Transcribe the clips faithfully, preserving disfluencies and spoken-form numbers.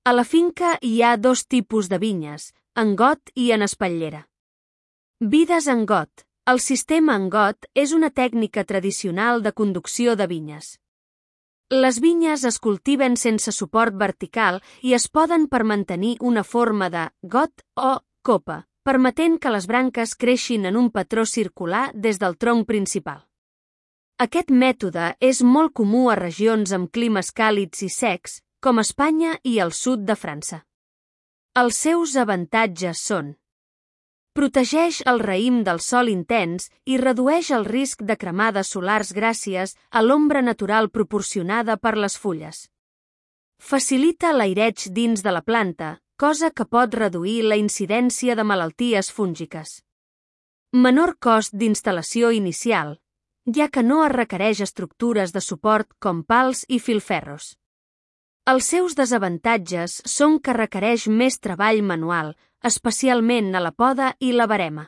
A la finca hi ha dos tipus de vinyes, en got i en espatllera. Vides en got. El sistema en got és una tècnica tradicional de conducció de vinyes. Les vinyes es cultiven sense suport vertical i es poden per mantenir una forma de got o copa, permetent que les branques creixin en un patró circular des del tronc principal. Aquest mètode és molt comú a regions amb climes càlids i secs, com Espanya i el sud de França. Els seus avantatges són: protegeix el raïm del sol intens i redueix el risc de cremades solars gràcies a l'ombra natural proporcionada per les fulles. Facilita l'aireig dins de la planta, cosa que pot reduir la incidència de malalties fúngiques. Menor cost d'instal·lació inicial, ja que no es requereix estructures de suport com pals i filferros. Els seus desavantatges són que requereix més treball manual, especialment a la poda i la verema.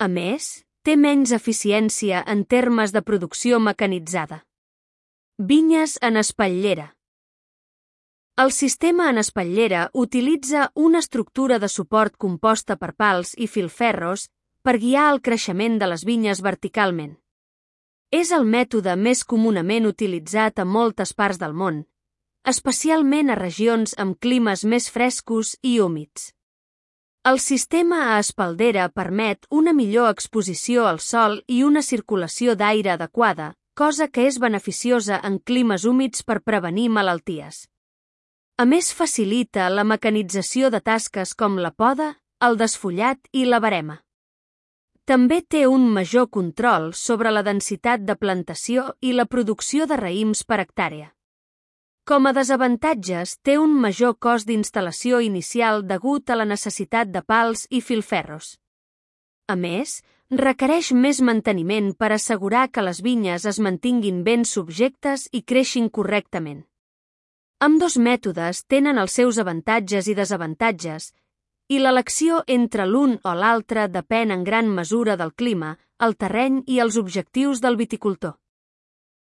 A més, té menys eficiència en termes de producció mecanitzada. Vinyes en espatllera. El sistema en espatllera utilitza una estructura de suport composta per pals i filferros per guiar el creixement de les vinyes verticalment. És el mètode més comunament utilitzat a moltes parts del món, especialment a regions amb climes més frescos i húmids. El sistema a espaldera permet una millor exposició al sol i una circulació d'aire adequada, cosa que és beneficiosa en climes húmids per prevenir malalties. A més, facilita la mecanització de tasques com la poda, el desfullat i la verema. També té un major control sobre la densitat de plantació i la producció de raïms per hectàrea. Com a desavantatges, té un major cost d'instal·lació inicial degut a la necessitat de pals i filferros. A més, requereix més manteniment per assegurar que les vinyes es mantinguin ben subjectes i creixin correctament. Ambdós mètodes tenen els seus avantatges i desavantatges, i l'elecció entre l'un o l'altre depèn en gran mesura del clima, el terreny i els objectius del viticultor.